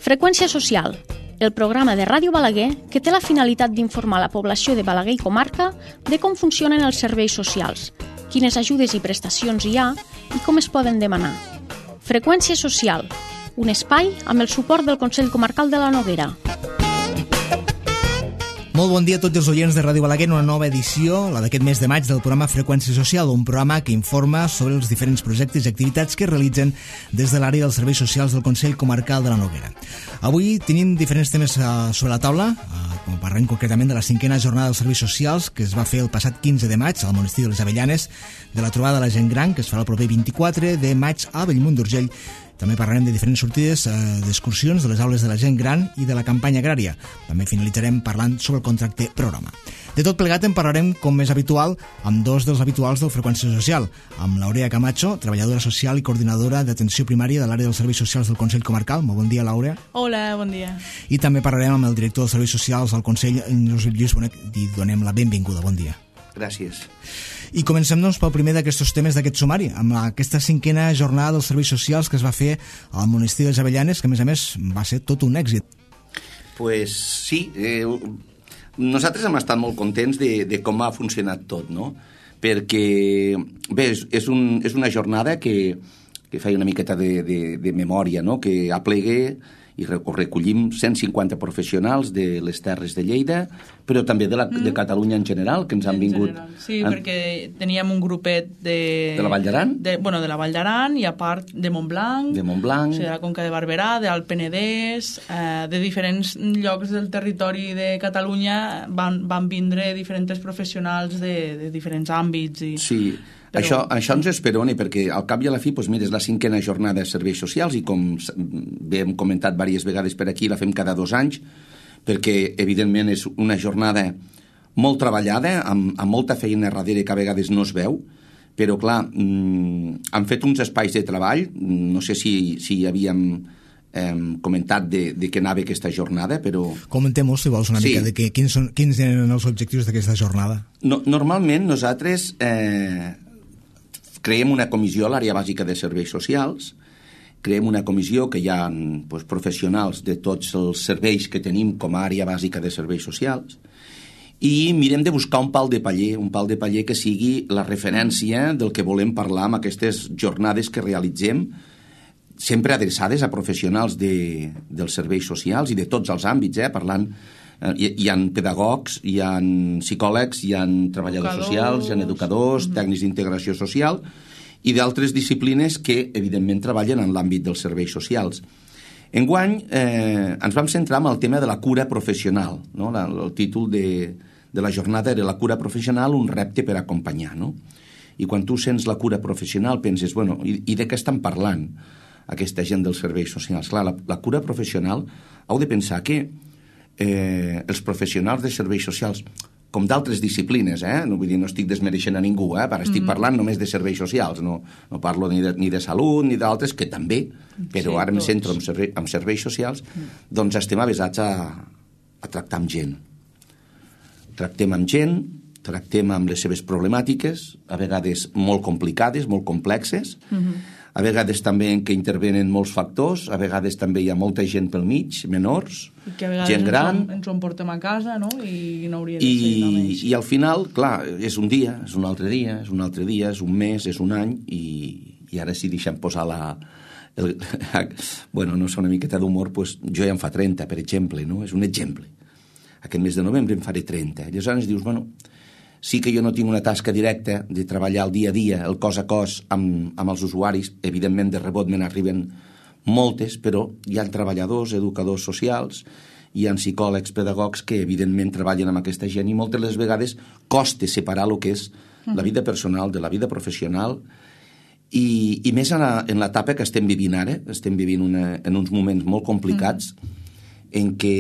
Freqüència social, el programa de Ràdio Balaguer que té la finalitat d'informar la població de Balaguer i comarca de com funcionen els serveis socials, quines ajudes i prestacions hi ha i com es poden demanar. Freqüència social, un espai amb el suport del Consell Comarcal de la Noguera. Molt bon dia a tots els oients de Ràdio Balaguer en una nova edició, la d'aquest mes de maig, del programa Freqüència Social, un programa que informa sobre els diferents projectes i activitats que es realitzen des de l'àrea dels serveis socials del Consell Comarcal de la Noguera. Avui tenim diferents temes sobre la taula, com parlem concretament de la 5a jornada dels serveis socials que es va fer el passat 15 de maig al monestir de les Avellanes, de la trobada de la gent gran que es farà el proper 24 de maig a Bellmunt d'Urgell. També parlarem de diferents sortides d'excursions de les aules de la gent gran i de la campanya agrària. També finalitzarem parlant sobre el contracte programa. De tot plegat en parlarem, com és habitual, amb dos dels habituals del Freqüència Social, amb l'Aurea Camacho, treballadora social i coordinadora d'atenció primària de l'àrea dels serveis socials del Consell Comarcal. Molt bon dia, L'Aurea. Hola, bon dia. I també parlarem amb el director dels serveis socials del Consell, Josep Lluís Bonet, i donem la benvinguda. Bon dia. Gràcies. I comencem, doncs, pel primer d'aquests temes d'aquest sumari, amb aquesta 5a jornada dels serveis socials que es va fer al monestir de les Avellanes, que a més va ser tot un èxit. Pues sí, nosaltres hem estat molt contents de com ha funcionat tot, no? Perquè, bé, és una jornada que feia una miqueta de memòria, no? Que aplegue i recollim 150 professionals de les Terres de Lleida, però també de Catalunya en general, que ens han vingut... Sí, perquè teníem un grupet de la Vall d'Aran? De la Vall d'Aran i a part de Montblanc, o sigui, de la Conca de Barberà, d'Alt Penedès, de diferents llocs del territori de Catalunya van vindre diferents professionals de diferents àmbits. Sí, però... Això ens esperona, perquè al cap i a la fi, doncs mira, és la 5a jornada de serveis socials i com bé hem comentat diverses vegades per aquí, la fem cada 2 anys, perquè evidentment és una jornada molt treballada, amb molta feina darrere que a vegades no es veu, però clar, han fet uns espais de treball, no sé si havíem comentat de què anava aquesta jornada, però... Comentem-ho, si vols, una mica, de quins eren els objectius d'aquesta jornada. Normalment nosaltres... creem una comissió a l'àrea bàsica de serveis socials, creem una comissió que hi ha professionals de tots els serveis que tenim com a àrea bàsica de serveis socials, i mirem de buscar un pal de paller que sigui la referència del que volem parlar amb aquestes jornades que realitzem, sempre adreçades a professionals dels serveis socials i de tots els àmbits, parlant... Hi ha pedagogs, hi ha psicòlegs, hi ha treballadors socials, hi ha educadors, tècnics d'integració social i d'altres disciplines que, evidentment, treballen en l'àmbit dels serveis socials. Enguany ens vam centrar en el tema de la cura professional, no? El títol de la jornada era la cura professional, un repte per acompanyar, no? I quan tu sents la cura professional penses, bueno, i de què estan parlant aquesta gent dels serveis socials? Clar, la cura professional, heu de pensar que els professionals de serveis socials, com d'altres disciplines, no vull dir, no estic desmereixent a ningú, estic parlant només de serveis socials, no parlo ni de salut ni d'altres, que també, però ara em centro en serveis socials, doncs estem avesats a tractar amb gent. Tractem amb gent, tractem amb les seves problemàtiques, a vegades molt complicades, molt complexes, a vegades també en què intervenen molts factors, a vegades també hi ha molta gent pel mig, menors, gent gran... ens ho emportem a casa, no? I no hauria de ser només. I al final, clar, és un dia, és un altre dia, és un altre dia, és un mes, és un any, i ara si deixem posar bueno, no sé, una miqueta d'humor, doncs jo ja en fa 30, per exemple, no? És un exemple. Aquest mes de novembre en faré 30. Llavors dius, bueno... Sí que jo no tinc una tasca directa de treballar el dia a dia, el cos a cos amb els usuaris. Evidentment, de rebot me n'arriben moltes, però hi ha treballadors, educadors socials, hi ha psicòlegs, pedagogs que evidentment treballen amb aquesta gent i moltes les vegades costa separar el que és la vida personal de la vida professional i més en l'etapa que estem vivint ara. Estem vivint en uns moments molt complicats en què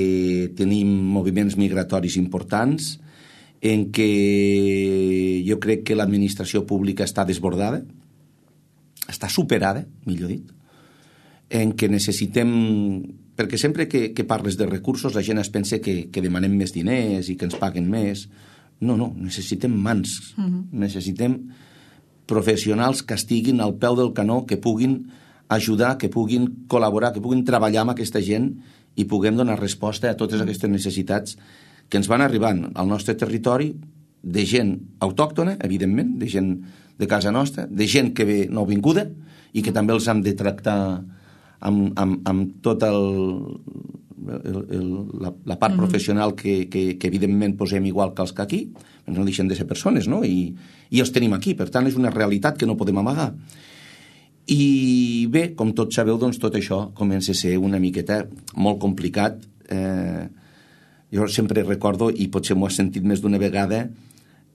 tenim moviments migratoris importants, en què jo crec que l'administració pública està desbordada, està superada, millor dit, en què necessitem... Perquè sempre que parles de recursos la gent es pensa que demanem més diners i que ens paguen més. No, necessitem mans, necessitem professionals que estiguin al peu del canó, que puguin ajudar, que puguin col·laborar, que puguin treballar amb aquesta gent i puguem donar resposta a totes aquestes necessitats que ens van arribant al nostre territori, de gent autòctona, evidentment, de gent de casa nostra, de gent que ve nouvinguda i que també els hem de tractar amb tota la part professional que evidentment posem igual que els que aquí, no deixen de ser persones, no? I els tenim aquí, per tant és una realitat que no podem amagar. I bé, com tots sabeu, doncs tot això comença a ser una miqueta molt complicat. Jo sempre recordo, i potser m'ho has sentit més d'una vegada,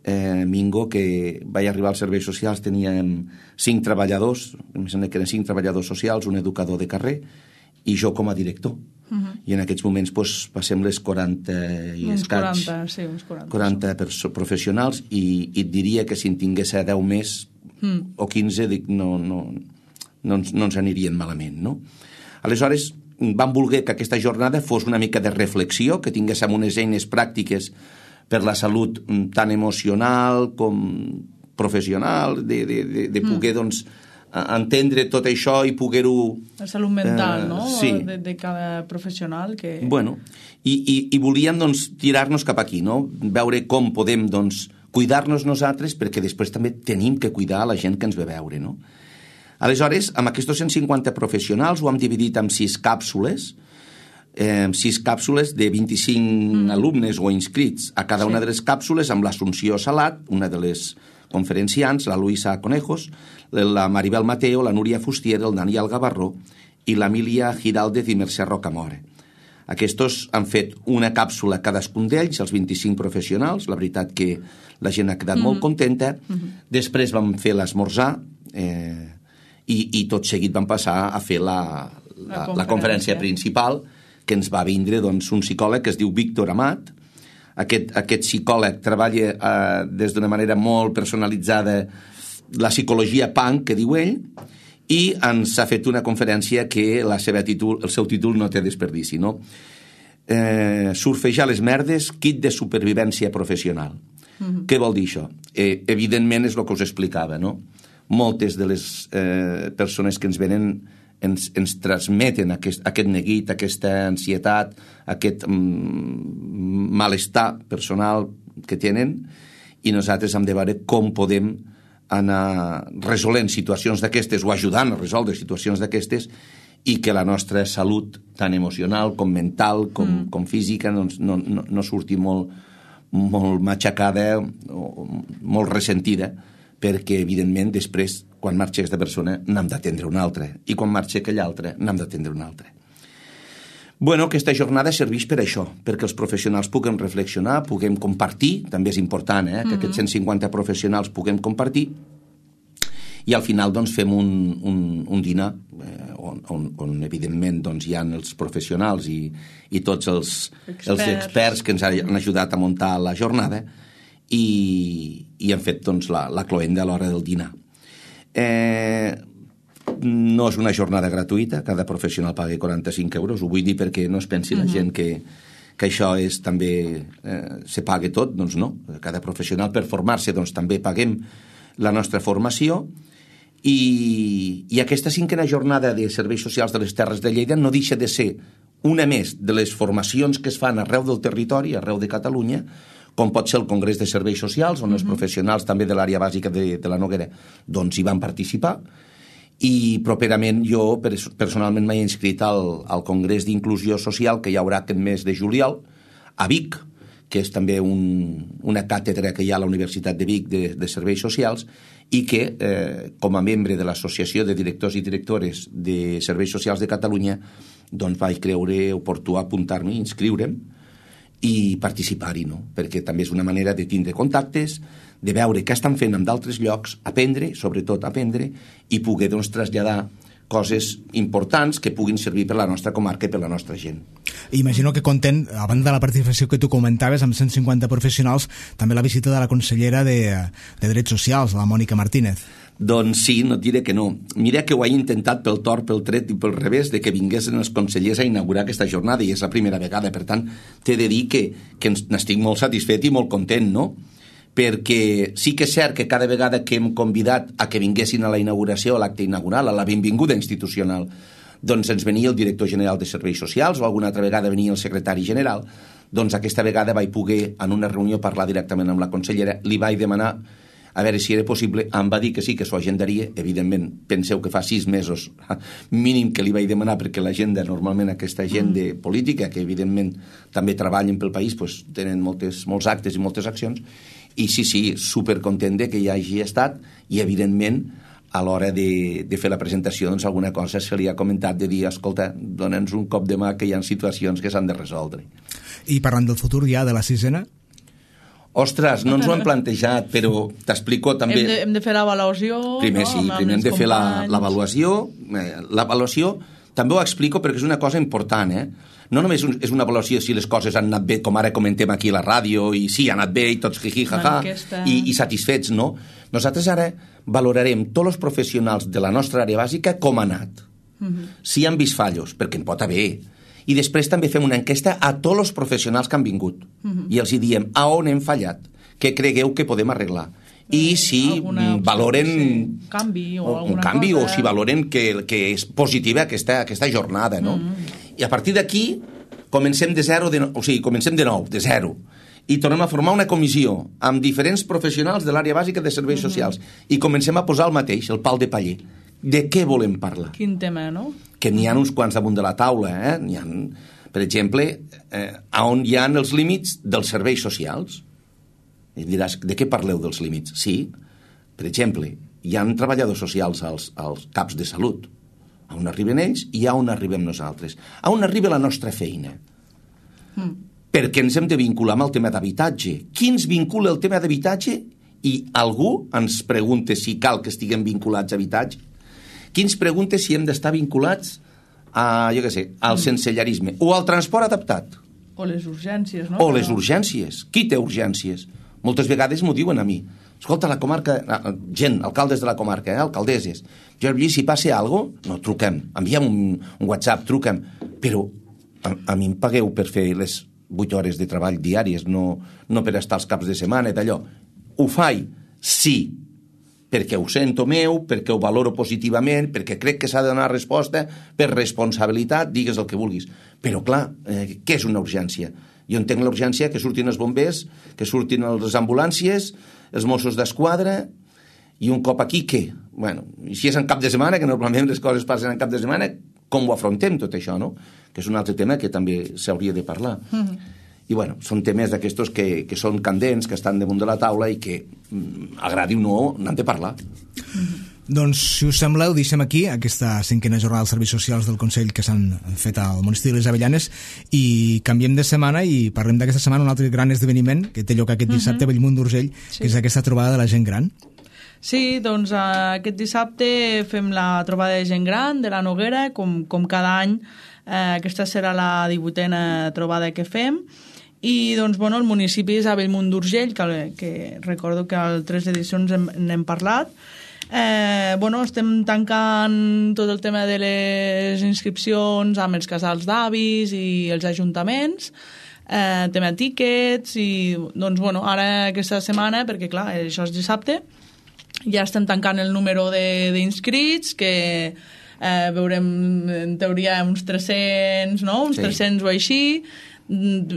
Mingo, que vaig arribar als serveis socials, teníem 5 treballadors, em sembla que eren 5 treballadors socials, un educador de carrer i jo com a director. I en aquests moments passem les 40 i escaig, 40 professionals, i et diria que si en tingués 10 més o 15 no ens anirien malament, no? Aleshores vam voler que aquesta jornada fos una mica de reflexió, que tinguéssim unes eines pràctiques per la salut tant emocional com professional, de poder doncs entendre tot això i poder-ho... La salut mental, no? Sí. De cada professional que... Bueno, i volíem doncs tirar-nos cap aquí, no? Veure com podem doncs cuidar-nos nosaltres, perquè després també tenim que cuidar la gent que ens ve a veure, no? Aleshores, amb aquests 150 professionals ho hem dividit en 6 càpsules, 6 càpsules de 25 alumnes o inscrits a cada una de les càpsules, amb l'Assumpció Salat, una de les conferenciants, la Luisa Conejos, la Maribel Mateo, la Núria Fustier, el Daniel Gavarró i l'Emília Giraldez i Mercè Rocamora. Aquests han fet una càpsula cadascun d'ells, els 25 professionals, la veritat que la gent ha quedat molt contenta. Després vam fer l'esmorzar i tot seguit vam passar a fer la conferència principal, que ens va vindre doncs, un psicòleg que es diu Víctor Amat. Aquest psicòleg treballa des d'una manera molt personalitzada la psicologia punk, que diu ell, i ens ha fet una conferència que el seu títol no té desperdici, no? Surfejar les merdes, kit de supervivència professional. Què vol dir això? Evidentment és el que us explicava, no? Moltes de les persones que ens venen ens transmeten aquest neguit, aquesta ansietat, aquest malestar personal que tenen, i nosaltres hem de veure com podem anar resolent situacions d'aquestes o ajudant a resoldre situacions d'aquestes i que la nostra salut, tant emocional com mental com física, no surti molt matxacada o molt ressentida, perquè, evidentment, després, quan marxa aquesta persona, n'hem d'atendre una altra. I quan marxa aquella altra, n'hem d'atendre una altra. Bueno, aquesta jornada serveix per això, perquè els professionals puguem reflexionar, puguem compartir, també és important, que aquests 150 professionals puguem compartir, i al final doncs, fem un dinar on evidentment doncs, hi ha els professionals i tots els experts que ens han ajudat a muntar la jornada, i hem fet doncs, la cloenda a l'hora del dinar. No és una jornada gratuïta, cada professional paga 45 euros, ho vull dir perquè no es pensi la gent que això és també se paga tot, doncs no. Cada professional per formar-se doncs, també paguem la nostra formació, i aquesta 5a jornada de serveis socials de les Terres de Lleida no deixa de ser una més de les formacions que es fan arreu del territori, arreu de Catalunya, com pot ser el Congrés de Serveis Socials, on els professionals també de l'àrea bàsica de la Noguera doncs hi van participar, i properament jo personalment m'he inscrit al Congrés d'Inclusió Social que hi haurà aquest mes de juliol a Vic, que és també una càtedra que hi ha a la Universitat de Vic de Serveis Socials, i que com a membre de l'Associació de Directors i Directores de Serveis Socials de Catalunya doncs vaig creure oportú apuntar-me, inscriure'm i participar-hi, no? Perquè també és una manera de tindre contactes, de veure què estan fent en d'altres llocs, aprendre, sobretot aprendre, i poder doncs, traslladar coses importants que puguin servir per la nostra comarca i per la nostra gent. Imagino que compten, a banda de la participació que tu comentaves amb 150 professionals, també la visita de la consellera de Drets Socials, la Mònica Martínez. Doncs sí, no et diré que no. Mira que ho he intentat pel tort, pel tret i pel revés de que vinguessin els consellers a inaugurar aquesta jornada, i és la primera vegada, per tant, t'he de dir que n'estic molt satisfet i molt content, no? perquè sí que és cert que cada vegada que hem convidat a que vinguessin a la inauguració, a l'acte inaugural, a la benvinguda institucional, doncs ens venia el director general de Serveis Socials o alguna altra vegada venia el secretari general, doncs aquesta vegada vaig poder en una reunió parlar directament amb la consellera, li vaig demanar a veure si era possible, em va dir que sí, que s'ho agendaria, evidentment, penseu que fa 6 mesos mínim que li vaig demanar, perquè l'agenda, normalment aquesta agenda política, que evidentment també treballen pel país, doncs tenen molts actes i moltes accions, i sí, supercontent que hi hagi estat, i evidentment a l'hora de fer la presentació, doncs alguna cosa se li ha comentat de dir, escolta, dona'ns un cop de mà que hi ha situacions que s'han de resoldre. I parlant del futur ja, de la 6ena? Ostres, no ens ho hem plantejat, però t'explico també... Hem de fer l'avaluació... Primer sí, primer hem de fer l'avaluació. L'avaluació també ho explico perquè és una cosa important, No només és una avaluació si les coses han anat bé, com ara comentem aquí a la ràdio, i sí, ha anat bé, i tots jiji, jaja, i satisfets, no? Nosaltres ara valorarem tots els professionals de la nostra àrea bàsica com ha anat. Si han vist fallos, perquè en pot haver. I després també fem una enquesta a tots els professionals que han vingut. I els hi diem a on hem fallat, què cregueu que podem arreglar. I si valoren un canvi o si valoren que és positiva aquesta jornada, no? I a partir d'aquí comencem de nou, de zero, i tornem a formar una comissió amb diferents professionals de l'àrea bàsica de serveis socials i comencem a posar el mateix, el pal de paller. De què volem parlar? Quin tema, no? Que n'hi ha uns quants damunt de la taula, N'hi ha, per exemple, on hi ha els límits dels serveis socials. I diràs, de què parleu dels límits? Sí, per exemple, hi ha treballadors socials als caps de salut, a on arriben ells i a on arribem nosaltres, a on arriba la nostra feina. Perquè ens hem de vincular amb el tema d'habitatge. Qui ens vincula el tema d'habitatge? I algú ens pregunta si cal que estiguem vinculats a habitatge? Qui ens pregunta si hem d'estar vinculats a, jo què sé, al sensellarisme o al transport adaptat? O les urgències, no? O les urgències. Qui té urgències? Moltes vegades m'ho diuen a mi. Escolta, la comarca, gent, alcaldes de la comarca, alcaldesses, Jordi, si passa alguna cosa, no, truquem, enviem un WhatsApp, truquem, però a mi em pagueu per fer les 8 hores de treball diàries, no per estar els caps de setmana, d'allò. Ho faig? Sí, perquè ho sento meu, perquè ho valoro positivament, perquè crec que s'ha de donar resposta per responsabilitat, digues el que vulguis. Però, clar, què és una urgència? Jo entenc l'urgència que surtin els bombers, que surtin les ambulàncies, els Mossos d'Esquadra, i un cop aquí, què? Bueno, i si és en cap de setmana, que normalment les coses passen en cap de setmana, com ho afrontem tot això, no? Que és un altre tema que també s'hauria de parlar. I bueno, són temes d'aquestos que són candents, que estan damunt de la taula i que, agradi o no, n'han de parlar. Doncs, si us sembla, ho deixem aquí, aquesta 5a jornada dels serveis socials del Consell que s'han fet al municipi de les Avellanes, i canviem de setmana i parlem d'aquesta setmana un altre gran esdeveniment que té lloc aquest dissabte a Bellmunt d'Urgell, que és aquesta trobada de la gent gran. Sí, doncs aquest dissabte fem la trobada de gent gran de la Noguera, com cada any. Aquesta serà la 18a trobada que fem. I doncs, bueno, el municipi és a Bellmunt d'Urgell, que recordo que a 3 edicions n'hem parlat. Bueno, estem tancant tot el tema de les inscripcions amb els casals d'avis i els ajuntaments, tema tíquets, i doncs, bueno, ara aquesta setmana, perquè clar, això és dissabte, ja estem tancant el número d'inscrits, que veurem en teoria uns 300, no? Uns 300 o així.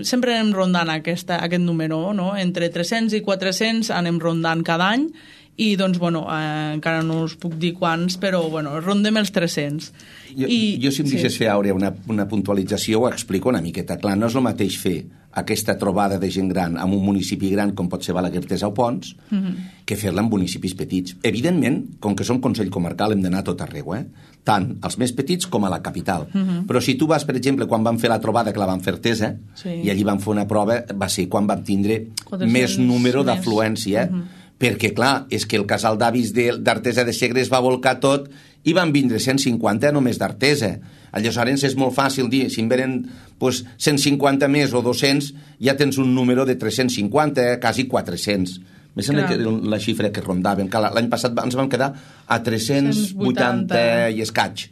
Sempre anem rondant aquest número, no? Entre 300 i 400 anem rondant cada any, i doncs, bueno, encara no us puc dir quants, però, bueno, rondem els 300. Jo si em deixes fer, Àurea, una puntualització, ho explico una miqueta. Clar, no és el mateix fer aquesta trobada de gent gran en un municipi gran com pot ser Balaguer-Teresa o Pons, que fer-la en municipis petits. Evidentment, com que som Consell Comarcal, hem d'anar a tot arreu, tant als més petits com a la capital. Però si tu vas, per exemple, quan vam fer la trobada, que la vam fer Artesa, i allí vam fer una prova, va ser quan vam tindre més número d'afluència, perquè, clar, és que el casal d'avis d'Artesa de Segre es va volcar tot i van vindre 150 només d'Artesa. Aleshores és molt fàcil dir, si en venen 150 més o 200, ja tens un número de 350, quasi 400. Més sembla que la xifra que rondaven. L'any passat ens vam quedar a 380 i escaig.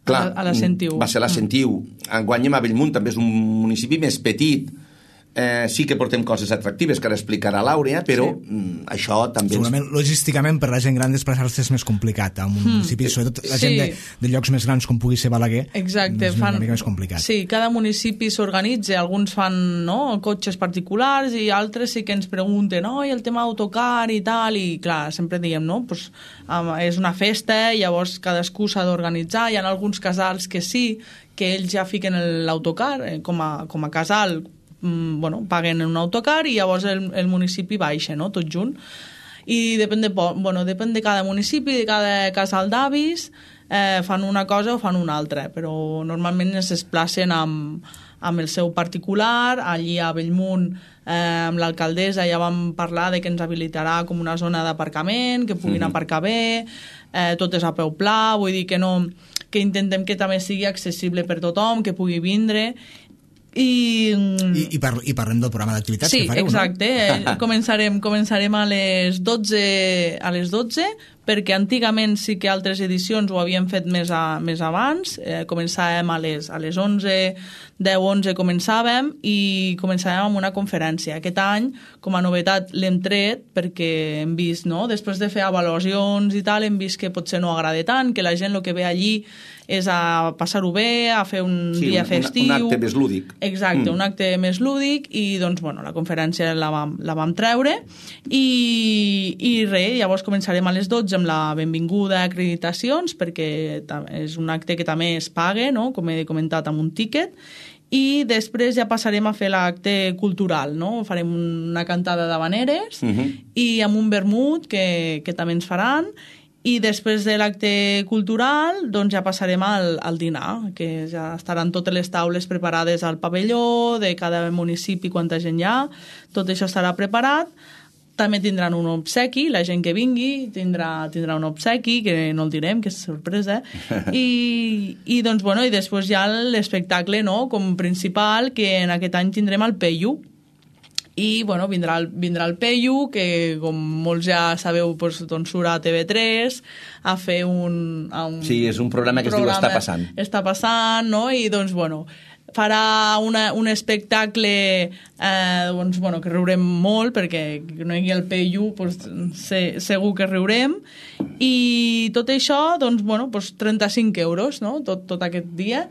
Clar, a la Sentiu. Va ser la Sentiu. Enguany a Bellmunt també és un municipi més petit. sí que portem coses atractives que ara explicarà l'Àurea, però això també... Segurament, logísticament, per la gent gran desplaçar-se és més complicat a un municipi, sobretot la gent de llocs més grans com pugui ser Balaguer. Exacte, és una mica més complicat. Sí, cada municipi s'organitza, alguns fan cotxes particulars i altres sí que ens pregunten el tema d'autocar i tal, i clar, sempre diem, pues, és una festa, llavors cadascú s'ha d'organitzar, hi ha alguns casals que sí, que ells ja fiquen l'autocar com a casal, paguen en un autocar i llavors el municipi baixa, tot junt. I depèn de cada municipi, de cada casal d'avis, fan una cosa o fan una altra, però normalment es desplacen amb el seu particular. Allí a Bellmunt, amb l'alcaldessa ja vam parlar de que ens habilitarà com una zona d'aparcament, que puguin aparcar bé, tot és a peu pla, vull dir que intentem que també sigui accessible per tothom, que pugui vindre. I parlem del programa d'activitats que fareu, exacte. Començarem a les 12, perquè antigament sí que altres edicions ho havíem fet més abans. Començàvem a les 11, 10-11 començàvem i començàvem amb una conferència. Aquest any, com a novetat, l'hem tret perquè hem vist, després de fer avaluacions i tal, hem vist que potser no agrada tant, que la gent el que ve allí és a passar-ho bé, a fer un dia festiu. Un acte més lúdic. Exacte, un acte més lúdic, i doncs, la conferència la vam treure i res, llavors començarem a les 12 amb la benvinguda a acreditacions, perquè és un acte que també es paga, com he comentat, amb un tíquet, i després ja passarem a fer l'acte cultural, farem una cantada d'habaneres i amb un vermut que també ens faran. I després de l'acte cultural doncs ja passarem al dinar, que ja estaran totes les taules preparades al pavelló de cada municipi, quanta gent hi ha, tot això estarà preparat. També tindran un obsequi, la gent que vingui tindrà un obsequi, que no el direm, que és sorpresa, i doncs, i després hi ha l'espectacle, com principal, que en aquest any tindrem el Peyu. I vindrà el Peyu, que com molts ja sabeu doncs surt a TV3 a fer sí, és un programa que es diu Està passant. Està passant, i doncs farà un espectacle que riurem molt, perquè no hi hagi el Peyu, segur que riurem, i tot això 35 euros, tot aquest dia.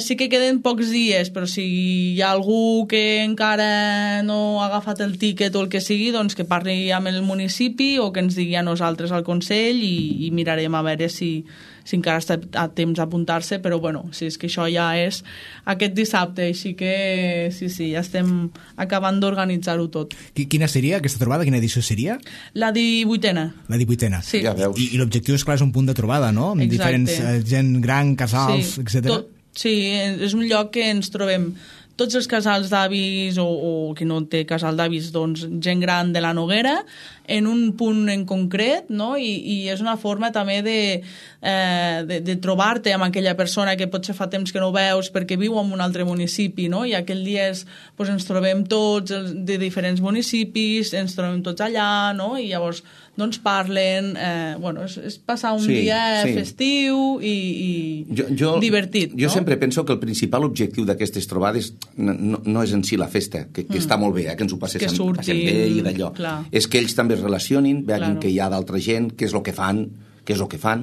Sí que queden pocs dies, però si hi ha algú que encara no ha agafat el tíquet o el que sigui, doncs que parli amb el municipi o que ens digui a nosaltres al Consell i mirarem a veure si encara està a temps d'apuntar-se, però si és que això ja és aquest dissabte, així que sí, ja estem acabant d'organitzar-ho tot. Quina seria aquesta trobada? Quina edició seria? La 18a. La 18a. Sí. Ja veus. I l'objectiu, és clar, és un punt de trobada, no? Amb diferents gent gran, casals, etc. Sí, és un lloc que ens trobem tots els casals d'avis o qui no té casal d'avis, doncs gent gran de la Noguera, en un punt en concret, i és una forma també de trobar-te amb aquella persona que potser fa temps que no veus perquè viu en un altre municipi, i aquell dia ens trobem tots de diferents municipis, ens trobem tots allà, i llavors doncs parlen, és passar un dia festiu i divertit. Jo sempre penso que el principal objectiu d'aquestes trobades no és en si la festa, que està molt bé, que ens ho passem bé i d'allò. És que ells també es relacionin, veguin que hi ha d'altra gent, què és el que fan,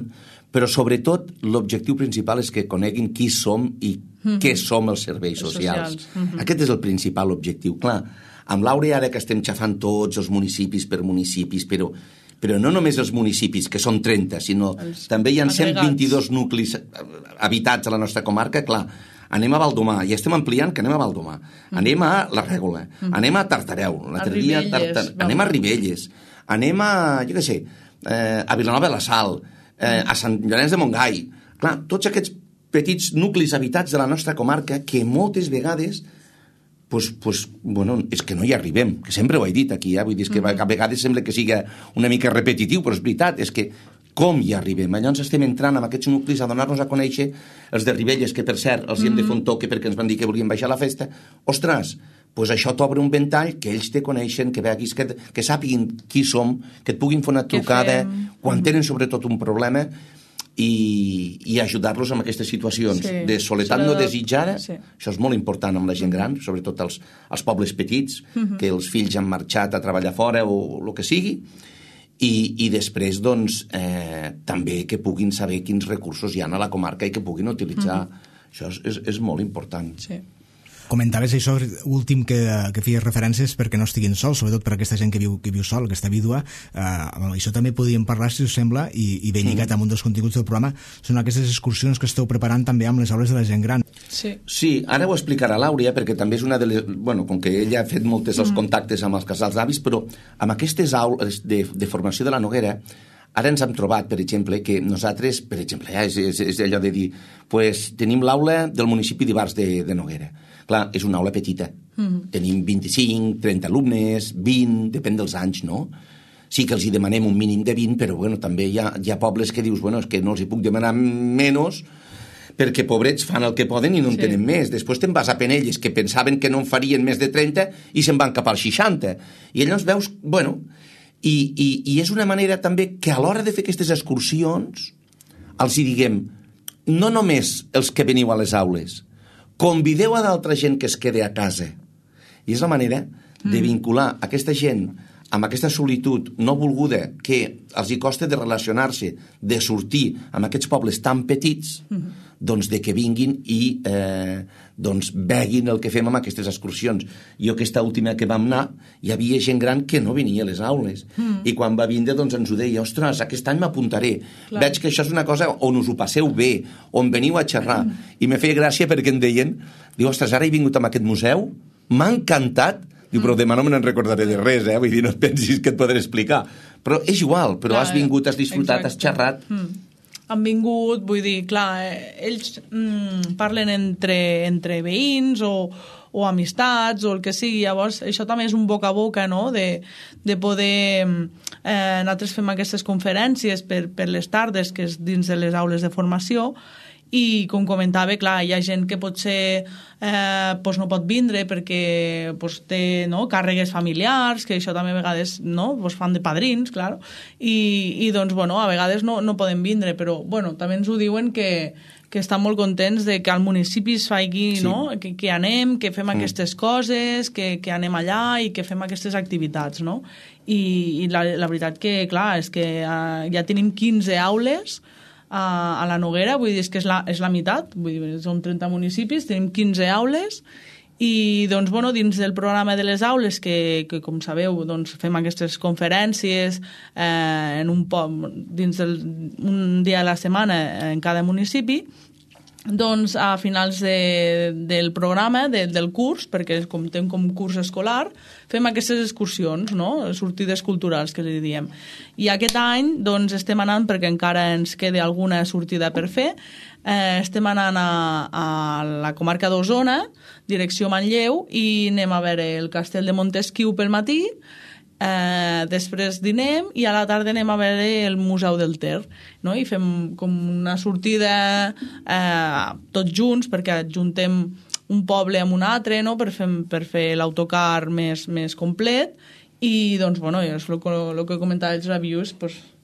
però sobretot l'objectiu principal és que coneguin qui som i què som els serveis socials. Aquest és el principal objectiu. Clar, amb l'Àurea, ara que estem xafant tots els municipis per municipis, però no només els municipis, que són 30, sinó també hi ha 122 nuclis habitats a la nostra comarca. Clar, anem a Baldomar, ja estem ampliant que anem a Baldomar, anem a la Règola, anem a Tartareu, anem a Ribelles, anem a, jo què sé, a Vilanova de la Sal, a Sant Llorenç de Montgai. Clar, tots aquests petits nuclis habitats de la nostra comarca que moltes vegades és que no hi arribem, que sempre ho he dit aquí, vull dir, que a vegades sembla que sigui una mica repetitiu, però és veritat, és que com hi arribem? Llavors estem entrant amb aquests nuclis a donar-nos a conèixer els de Ribelles, que per cert els hem de fer un toque perquè ens van dir que volien baixar la festa. Ostres, doncs això t'obre un ventall, que ells te coneixen, que veguis, que sàpiguin qui som, que et puguin fer una trucada quan tenen sobretot un problema. i ajudar-los en aquestes situacions de soledat no desitjada. Això és molt important amb la gent gran, sobretot als pobles petits, que els fills han marxat a treballar fora o el que sigui, i després doncs també que puguin saber quins recursos hi ha a la comarca i que puguin utilitzar. Això és molt important. Comentaves això últim que feies referències perquè no estiguin sols, sobretot per aquesta gent que viu sol, aquesta vídua. Això també podríem parlar, si us sembla, i ben lligat amb un dels continguts del programa, són aquestes excursions que esteu preparant també amb les aules de la gent gran. Sí, ara ho explicarà l'Àurea, perquè també és una de les... Bueno, com que ella ha fet molts els contactes amb els casals d'avis, però amb aquestes aules de formació de la Noguera, ara ens hem trobat, per exemple, que nosaltres, per exemple, és allò de dir, pues, tenim l'aula del municipi d'Ivars de Noguera. Clar, és una aula petita. Tenim 25, 30 alumnes, 20, depèn dels anys, no? Sí que els hi demanem un mínim de 20, però bueno, també hi ha pobles que dius, bueno, és que no els hi puc demanar menys perquè pobrets fan el que poden i no en tenen més. Després te'n vas a Penelles, que pensaven que no en farien més de 30 i se'n van cap als 60. I llavors veus, bueno... I és una manera també que a l'hora de fer aquestes excursions els hi diguem, no només els que veniu a les aules, convideu a d'altra gent que es quede a casa. I és la manera de vincular aquesta gent amb aquesta solitud no volguda que els hi costa de relacionar-se, de sortir amb aquests pobles tan petits, doncs de que vinguin i doncs veguin el que fem amb aquestes excursions. Jo aquesta última que vam anar, hi havia gent gran que no venia a les aules. I quan va vindre doncs ens ho deia, ostres, aquest any m'apuntaré. Veig que això és una cosa on us ho passeu bé, on veniu a xerrar. I me feia gràcia perquè em deien, diu, ostres, ara he vingut a aquest museu, m'ha encantat. Diu, però demà no me n'en recordaré de res, vull dir, no et pensis que et podré explicar. Però és igual, però has vingut, has disfrutat, has xerrat. Han vingut, vull dir, clar, ells parlen entre veïns o amistats o el que sigui, llavors això també és un boca a boca, no?, de poder... nosaltres fem aquestes conferències per les tardes, que és dins de les aules de formació, i com comentava, clar, hi ha gent que potser no pot vindre perquè té càrregues familiars, que això també a vegades fan de padrins, clar, i doncs, a vegades no poden vindre, però també ens ho diuen que estan molt contents de que al municipi es faci, que anem, que fem aquestes coses, que anem allà i que fem aquestes activitats, no? I la veritat que, clar, és que ja tenim 15 aules a la Noguera, vull dir, és que és la meitat, vull dir, són 30 municipis, tenim 15 aules i, doncs, dins del programa de les aules, que com sabeu, doncs, fem aquestes conferències dins un dia a la setmana en cada municipi, doncs a finals del programa, del curs, perquè comptem com curs escolar, fem aquestes excursions, sortides culturals, que li diem. I aquest any doncs, estem anant, perquè encara ens queda alguna sortida per fer, estem anant a la comarca d'Osona, direcció Manlleu, i anem a veure el castell de Montesquiu pel matí, després dinem i a la tarda anem a veure el Museu del Ter, no? I fem com una sortida tots junts, perquè adjuntem un poble amb un altre, no? per fer l'autocar més complet, i doncs, és el que comentava els reviews,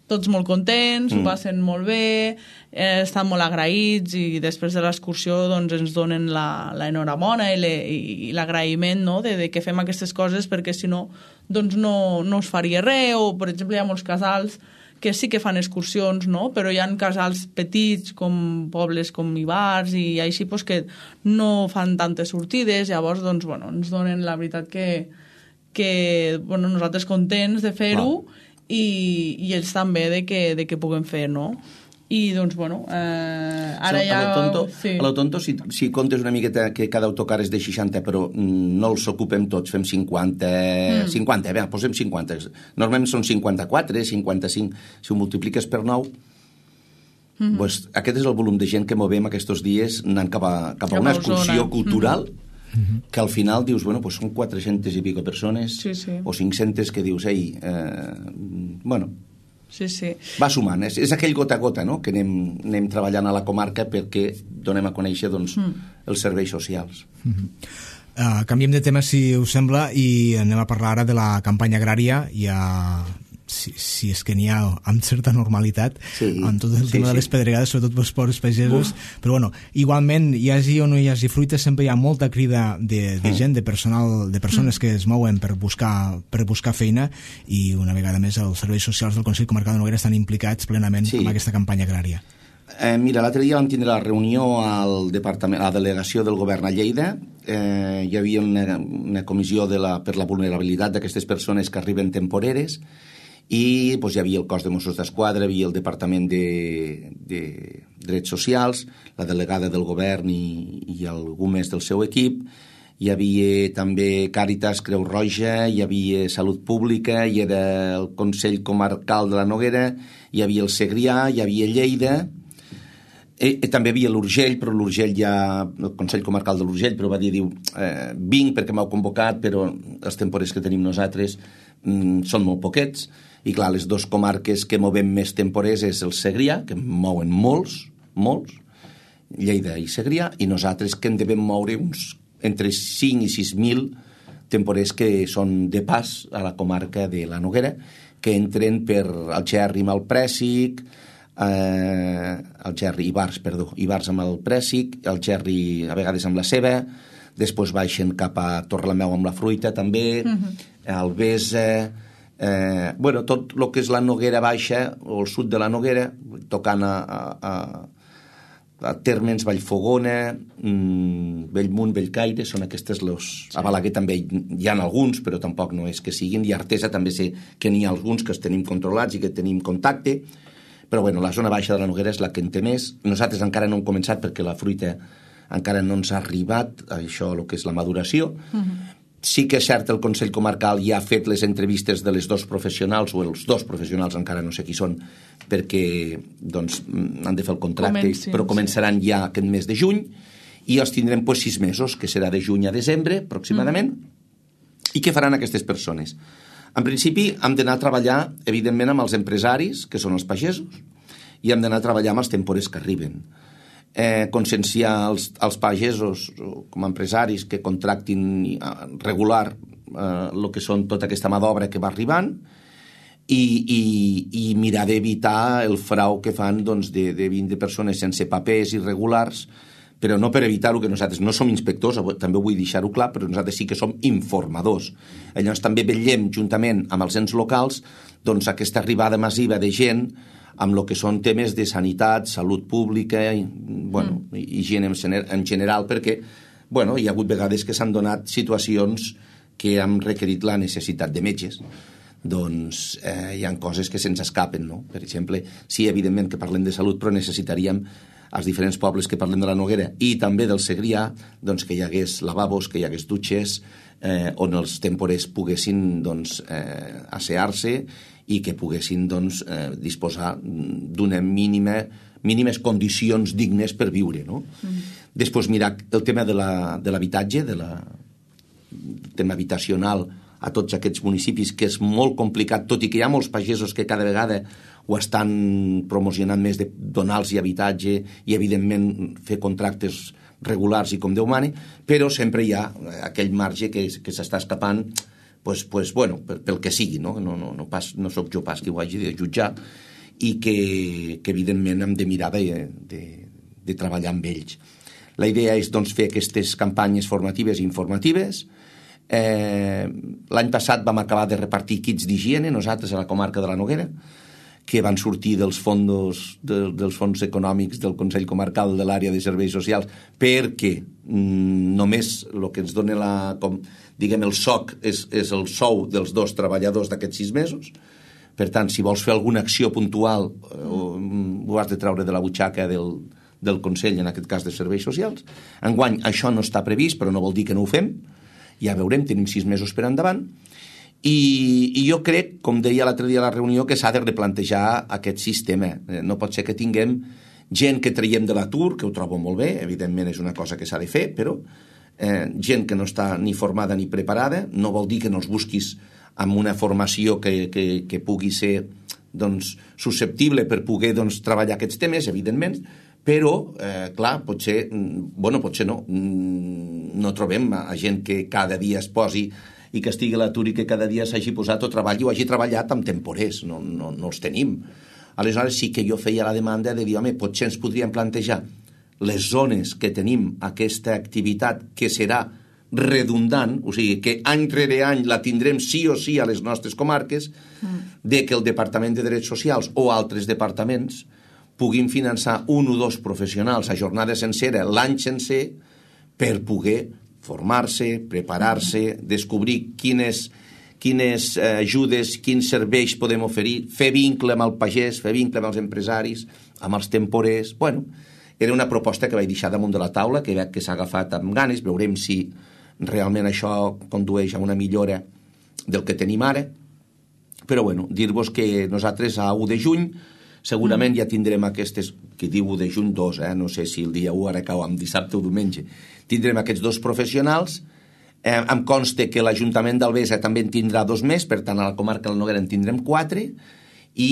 tots molt contents, ho passen molt bé, estan molt agraïts, i després de l'excursió doncs, ens donen l'enhorabona i l'agraïment, no? de que fem aquestes coses, perquè si no doncs no es faria res, o per exemple hi ha molts casals que sí que fan excursions, no? Però hi ha casals petits, com pobles com Ivars i així, doncs, que no fan tantes sortides, llavors doncs, ens donen la veritat que nosaltres contents de fer-ho, i ells també de que puguem fer, no? I doncs, ara ja... A lo tonto, si comptes una miqueta que cada autocar és de 60, però no els ocupem tots, fem 50, posem 50. Normalment són 54, 55. Si ho multipliques per 9, doncs aquest és el volum de gent que movem aquests dies anant cap a una excursió cultural, que al final dius, són 400 i pico persones, o 500 que dius, va sumant. És aquell gota a gota, no?, que anem treballant a la comarca perquè donem a conèixer els serveis socials. Canviem de tema, si us sembla, i anem a parlar ara de la campanya agrària. si és que n'hi ha amb certa normalitat, amb tot el tema de les pedregades, sobretot pels pobres pagesos, però bueno, igualment, hi hagi o no hi hagi fruita, sempre hi ha molta crida de gent, de personal, de persones que es mouen per buscar feina, i una vegada més els serveis socials del Consell Comarcal de Noguera estan implicats plenament en aquesta campanya agrària. Mira, l'altre dia vam tindre la reunió al departament, a la delegació del govern a Lleida. Hi havia una comissió per la vulnerabilitat d'aquestes persones que arriben temporeres, i hi havia el cos de Mossos d'Esquadra, hi havia el departament de drets socials, la delegada del govern i algú més del seu equip. Hi havia també Càritas, Creu Roja, hi havia Salut Pública, hi era el Consell Comarcal de la Noguera, hi havia el Segrià, hi havia Lleida. També hi havia l'Urgell, però l'Urgell el Consell Comarcal de l'Urgell, però va dir, vinc perquè m'heu convocat, però els temporers que tenim nosaltres són molt poquets, i clar, les dues comarques que movem més temporers és el Segrià, que mouen molts, Lleida i Segrià, i nosaltres que en devem moure uns entre 5 i 6.000 temporers que són de pas a la comarca de la Noguera, que entren per Algerri amb el Prèssic, Ivars amb el Prèssic, Algerri a vegades amb la ceba, després baixen cap a Torrelameu amb la fruita també, Albesa, tot el que és la Noguera Baixa o el sud de la Noguera, tocant a Térmens, Vallfogona, Bellmunt, Bellcaire, són aquestes a Balaguer també hi ha alguns, però tampoc no és que siguin, i a Artesa també sé que n'hi ha alguns que els tenim controlats i que tenim contacte, però la zona baixa de la Noguera és la que en té més. Nosaltres encara no hem començat perquè la fruita encara no ens ha arribat, això el que és la maduració. Sí que és cert, el Consell Comarcal ja ha fet les entrevistes de les dos professionals, o els dos professionals, encara no sé qui són, perquè han de fer el contracte, però començaran ja aquest mes de juny, i els tindrem 6 mesos, que serà de juny a desembre, aproximadament. I què faran aquestes persones? En principi, hem d'anar a treballar, evidentment, amb els empresaris, que són els pagesos, i hem d'anar a treballar amb els temporers que arriben. Conscienciar els pagesos com a empresaris que contractin regular el que són tota aquesta mà d'obra que va arribant, i mirar d'evitar el frau que fan de 20 persones sense papers irregulars, però no per evitar-ho, que nosaltres no som inspectors, també vull deixar-ho clar, però nosaltres sí que som informadors. Llavors també vetllem, juntament amb els ens locals, aquesta arribada massiva de gent amb el que són temes de sanitat, salut pública, higiene en general, perquè hi ha hagut vegades que s'han donat situacions que han requerit la necessitat de metges. Hi ha coses que se'ns escapen, no? Per exemple, sí, evidentment que parlem de salut, però necessitaríem als diferents pobles que parlem de la Noguera i també del Segrià, que hi hagués lavabos, que hi hagués dutxes, on els temporers poguessin assear-se i que poguessin disposar d'una mínimes condicions dignes per viure, no? Després, mirar el tema de l'habitatge, del tema habitacional a tots aquests municipis, que és molt complicat, tot i que hi ha molts pagesos que cada vegada ho estan promocionant més, de donar-los habitatge i, evidentment, fer contractes regulars i com Déu mani, però sempre hi ha aquell marge que s'està escapant pel que sigui, no? No soc jo pas qui ho hagi de jutjar, i que evidentment hem de mirar de treballar amb ells. La idea és fer aquestes campanyes formatives i informatives. L'any passat vam acabar de repartir kits d'higiene, nosaltres a la comarca de la Noguera, que van sortir dels fons econòmics del Consell Comarcal de l'àrea de serveis socials, perquè només el que ens dona el SOC és el sou dels 2 treballadors d'aquests 6 mesos. Per tant, si vols fer alguna acció puntual, ho has de treure de la butxaca del Consell, en aquest cas de serveis socials. Enguany això no està previst, però no vol dir que no ho fem. Ja veurem, tenim 6 mesos per endavant. I jo crec, com deia l'altre dia a la reunió, que s'ha de replantejar aquest sistema. No pot ser que tinguem gent que traiem de l'atur, que ho trobo molt bé, evidentment és una cosa que s'ha de fer, però gent que no està ni formada ni preparada, no vol dir que no els busquis amb una formació que pugui ser susceptible per poder treballar aquests temes, evidentment, però, clar, potser no trobem a gent que cada dia es posi i que estigui a l'atur i que cada dia s'hagi posat o treball o hagi treballat amb temporers, no els tenim. Aleshores sí que jo feia la demanda de dir, home, potser ens podríem plantejar les zones que tenim aquesta activitat que serà redundant, o sigui, que any rere any la tindrem sí o sí a les nostres comarques, de que el Departament de Drets Socials o altres departaments puguin finançar un o dos professionals a jornada sencera, l'any sencer, per poder formar-se, preparar-se, descobrir quines ajudes, quins serveis podem oferir, fer vincle amb el pagès, fer vincle amb els empresaris, amb els temporers. Bueno, era una proposta que vaig deixar damunt de la taula, que veig que s'ha agafat amb ganes, veurem si realment això condueix a una millora del que tenim ara. Però bueno, dir-vos que nosaltres a 1 de juny segurament ja tindrem aquestes, que diu 1 de juny 2, no sé si el dia 1 ara cau amb dissabte o diumenge, tindrem aquests 2 professionals. Em consta que l'Ajuntament d'Albesa també en tindrà 2 més, per tant a la comarca del Noguera en tindrem 4, i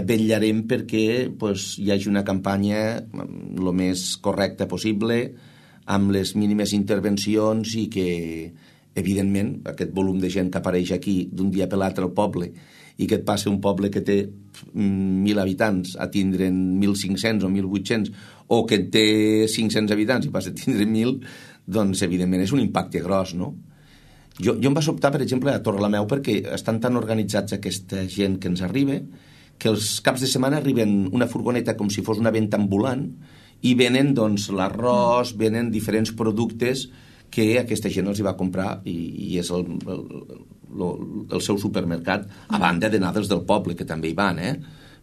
vetllarem perquè hi hagi una campanya el més correcta possible, amb les mínimes intervencions, i que, evidentment, aquest volum de gent que apareix aquí d'un dia per l'altre al poble, i que et passa un poble que té 1.000 habitants a tindre'n 1.500 o 1.800, o que té 500 habitants i passa a tindre 1.000, doncs, evidentment, és un impacte gros, no? Jo em va sobtar, per exemple, a Torrelameu, perquè estan tan organitzats aquesta gent que ens arriba, que els caps de setmana arriben una furgoneta com si fos una venda ambulant, i venen, doncs, l'arròs, venen diferents productes que aquesta gent els hi va comprar i és el seu supermercat, a banda d'anar dels del poble, que també hi van,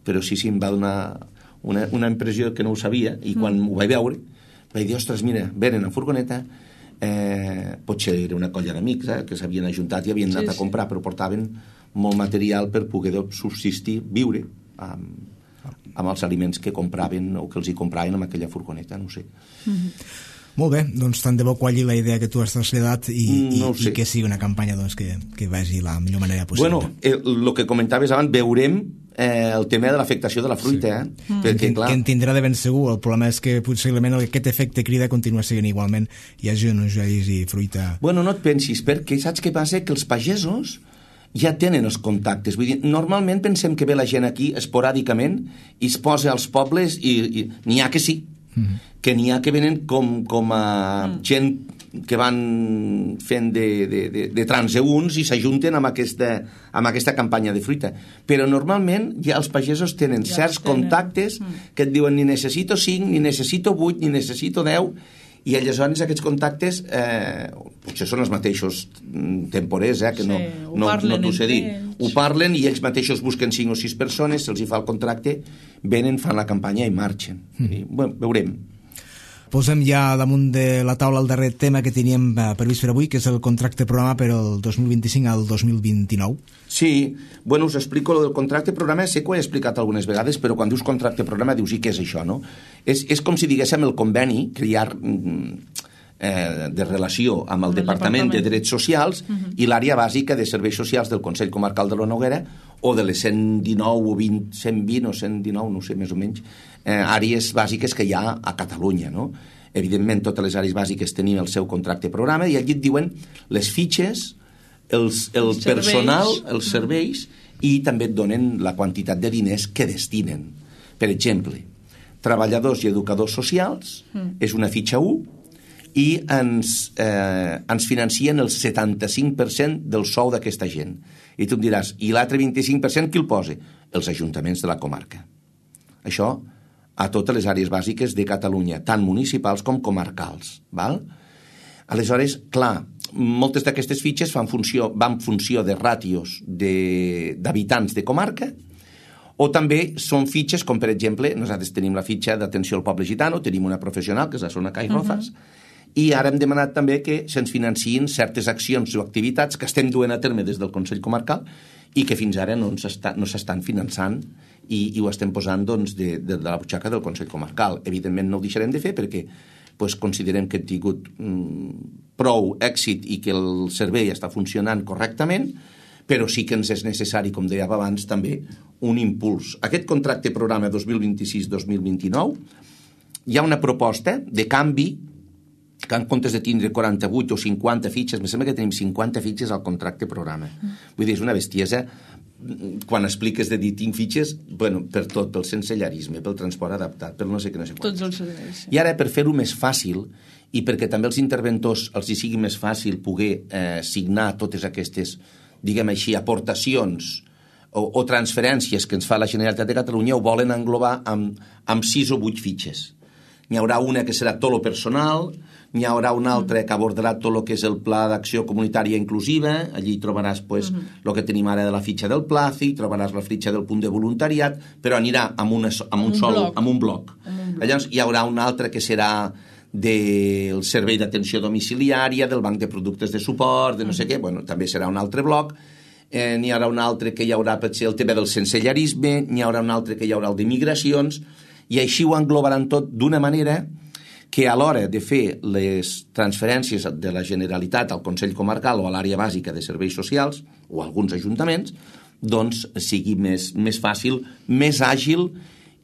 però sí, em va donar una impressió que no ho sabia, i quan ho vaig veure vaig dir, ostres, mira, venen a furgoneta, potser era una colla d'amics que s'havien ajuntat i havien anat a comprar, però portaven molt material per poder subsistir, viure amb els aliments que compraven o que els hi compraven amb aquella furgoneta, no ho sé. Molt bé, doncs tant de bo qualli la idea que tu has traslladat i que sigui una campanya que vagi la millor manera possible. Bueno, el que comentaves abans, veurem el tema de l'afectació de la fruita, perquè, clar... Que en tindrà de ben segur. El problema és que possiblement aquest efecte crida continua sent igualment, hi hagi o no hi hagi fruita. Bueno, no et pensis, perquè saps què passa? Que els pagesos ja tenen els contactes. Vull dir, normalment pensem que ve la gent aquí esporàdicament i es posa als pobles i n'hi ha que sí, que n'hi ha que venen com a gent que van fent de transeünts i s'ajunten amb aquesta campanya de fruita. Però normalment ja els pagesos tenen certs contactes que et diuen ni necessito 5, ni necessito 8, ni necessito 10, i aleshores aquests contactes potser són els mateixos temporers, que no t'ho sé dir. Ho parlen i ells mateixos busquen 5 o 6 persones, se'ls hi fa el contracte, venen, fan la campanya i marxen. Bueno, veurem. Posem ja damunt de la taula el darrer tema que teníem previst per avui, que és el contracte programa per al 2025 al 2029. Sí, bueno, us explico el contracte programa, sé que ho he explicat algunes vegades, però quan dius contracte programa dius, i què és això, no? És com si diguéssim el conveni que hi ha de relació amb el Departament de Drets Socials i l'àrea bàsica de serveis socials del Consell Comarcal de la Noguera, o de les 119 o 120 o 119, no sé, més o menys, àrees bàsiques que hi ha a Catalunya, no? Evidentment, totes les àrees bàsiques tenien el seu contracte programa i allí et diuen les fitxes, el personal, els serveis, i també et donen la quantitat de diners que destinen. Per exemple, treballadors i educadors socials és una fitxa 1 i ens financien el 75% del sou d'aquesta gent. I tu em diràs, i l'altre 25% qui el posa? Els ajuntaments de la comarca. Això a totes les àrees bàsiques de Catalunya, tant municipals com comarcals. Val? Aleshores, clar, moltes d'aquestes fitxes van funció de ràtios d'habitants de comarca, o també són fitxes com, per exemple, nosaltres tenim la fitxa d'atenció al poble gitano, tenim una professional, que és la Sona Cai Rozas, i ara hem demanat també que se'ns financien certes accions o activitats que estem duent a terme des del Consell Comarcal i que fins ara no s'estan finançant i ho estem posant de la butxaca del Consell Comarcal. Evidentment no ho deixarem de fer perquè considerem que hem tingut prou èxit i que el servei està funcionant correctament, però sí que ens és necessari, com deia abans, també un impuls. Aquest contracte programa 2026-2029 hi ha una proposta de canvi que en comptes de tindre 48 o 50 fitxes, me sembla que tenim 50 fitxes al contracte programa. Vull dir, és una bestiesa quan expliques de dir tinc fitxes, bueno, per tot, pel sensellarisme, pel transport adaptat, pel no sé què, no sé quant. Tots els serveis. I ara, per fer-ho més fàcil, i perquè també els interventors els hi sigui més fàcil poder signar totes aquestes, diguem així, aportacions o transferències que ens fa la Generalitat de Catalunya, ho volen englobar amb 6 o 8 fitxes. N'hi haurà una que serà tot lo personal, n'hi haurà una altra que abordarà tot el que és el Pla d'Acció Comunitària Inclusiva, allí trobaràs el que tenim ara de la fitxa del PLACI, trobaràs la fitxa del punt de voluntariat, però anirà amb un bloc. Llavors hi haurà una altra que serà del servei d'atenció domiciliària, del banc de productes de suport, de no sé què, bueno, també serà un altre bloc. N'hi haurà un altre que hi haurà potser el tema del sensellarisme, n'hi haurà un altre que hi haurà el d'immigracions, i així ho englobaran tot d'una manera que a l'hora de fer les transferències de la Generalitat al Consell Comarcal o a l'àrea bàsica de serveis socials o a alguns ajuntaments, doncs sigui més fàcil, més àgil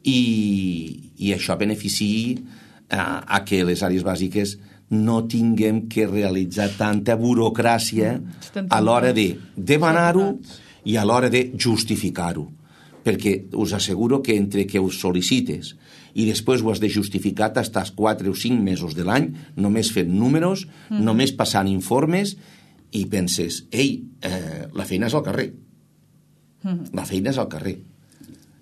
i això beneficiï a que les àrees bàsiques no tinguem que realitzar tanta burocràcia a l'hora de demanar-ho i a l'hora de justificar-ho. Perquè us asseguro que entre que ho sol·licites i després ho has de justificar t'estàs 4 o 5 mesos de l'any només fent números, només passant informes i penses, la feina és al carrer. La feina és al carrer.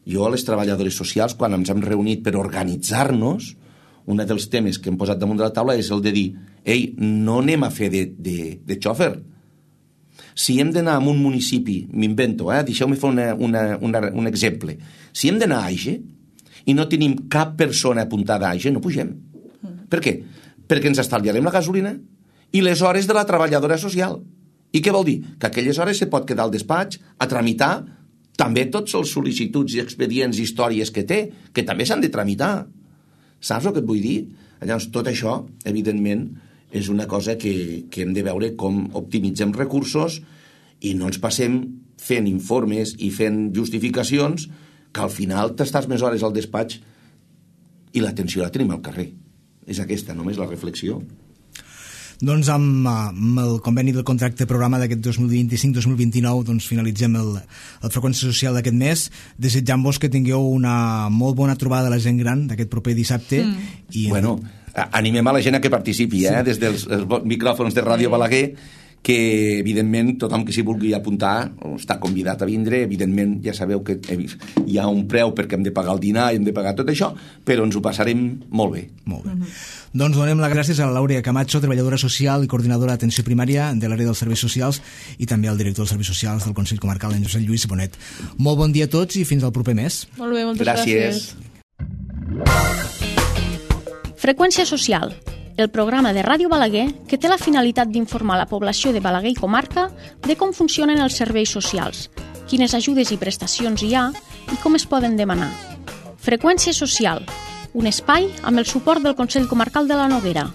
Jo a les treballadores socials, quan ens hem reunit per organitzar-nos, un dels temes que hem posat damunt de la taula és el de dir, no anem a fer de xòfer. Si hem d'anar a un municipi, m'invento, deixeu-me fer un exemple. Si hem d'anar a Aige i no tenim cap persona apuntada a Aige, no pugem. Per què? Perquè ens estalviarem la gasolina i les hores de la treballadora social. I què vol dir? Que aquelles hores se pot quedar al despatx a tramitar també tots els sol·licituds i expedients i històries que té, que també s'han de tramitar. Saps el que et vull dir? Llavors, tot això, evidentment, és una cosa que hem de veure com optimitzem recursos i no ens passem fent informes i fent justificacions que al final t'estàs més hores al despatx i l'atenció la tenim al carrer. És aquesta només la reflexió. Doncs amb el conveni del contracte programa d'aquest 2025-2029 doncs finalitzem el Freqüència Social d'aquest mes, desitjant-vos que tingueu una molt bona trobada de la gent gran d'aquest proper dissabte. Bueno, animem a la gent a que participi, des dels micròfons de Ràdio Balaguer, que evidentment tothom que s'hi vulgui apuntar està convidat a vindre. Evidentment ja sabeu que hi ha un preu perquè hem de pagar el dinar i hem de pagar tot això, però ens ho passarem molt bé. Molt bé. Doncs donem les gràcies a la Laura Camacho, treballadora social i coordinadora d'atenció primària de l'àrea dels serveis socials, i també al director dels serveis socials del Consell Comarcal, en Josep Lluís Bonet. Molt bon dia a tots i fins al proper mes. Molt bé, moltes gràcies. Freqüència Social, el programa de Ràdio Balaguer que té la finalitat d'informar la població de Balaguer i comarca de com funcionen els serveis socials, quines ajudes i prestacions hi ha i com es poden demanar. Freqüència Social, un espai amb el suport del Consell Comarcal de la Noguera.